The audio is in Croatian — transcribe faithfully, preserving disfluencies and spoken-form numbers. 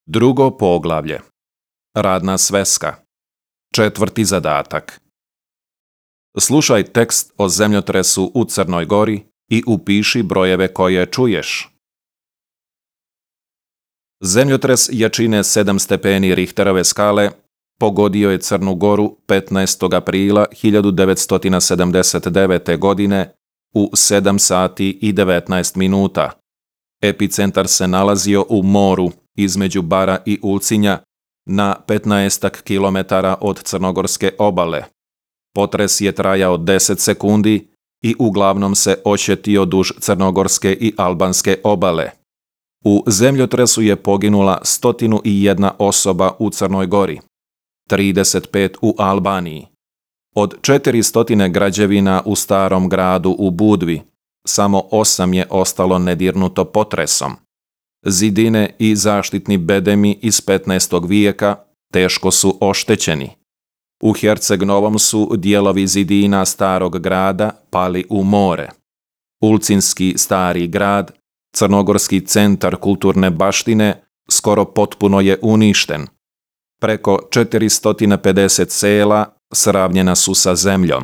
Drugo poglavlje. Radna sveska. Četvrti zadatak. Slušaj tekst o zemljotresu u Crnoj Gori i upiši brojeve koje čuješ. Zemljotres jačine sedam stepeni Richterove skale pogodio je Crnu Goru petnaestog aprila hiljadu devetsto sedamdeset devete. godine u sedam sati i devetnaest minuta. Epicentar se nalazio u moru između Bara i Ulcinja na petnaestak kilometara od crnogorske obale. Potres je trajao deset sekundi i uglavnom se oštetio duž crnogorske i albanske obale. U zemljotresu je poginula sto jedna osoba u Crnoj Gori, trideset pet u Albaniji. Od četiristo građevina u starom gradu u Budvi, samo osam je ostalo nedirnuto potresom. Zidine i zaštitni bedemi iz petnaestog vijeka teško su oštećeni. U Herceg Novom su dijelovi zidina starog grada pali u more. Ulcinski stari grad, crnogorski centar kulturne baštine, skoro potpuno je uništen. Preko četiristo pedeset sela sravnjena su sa zemljom.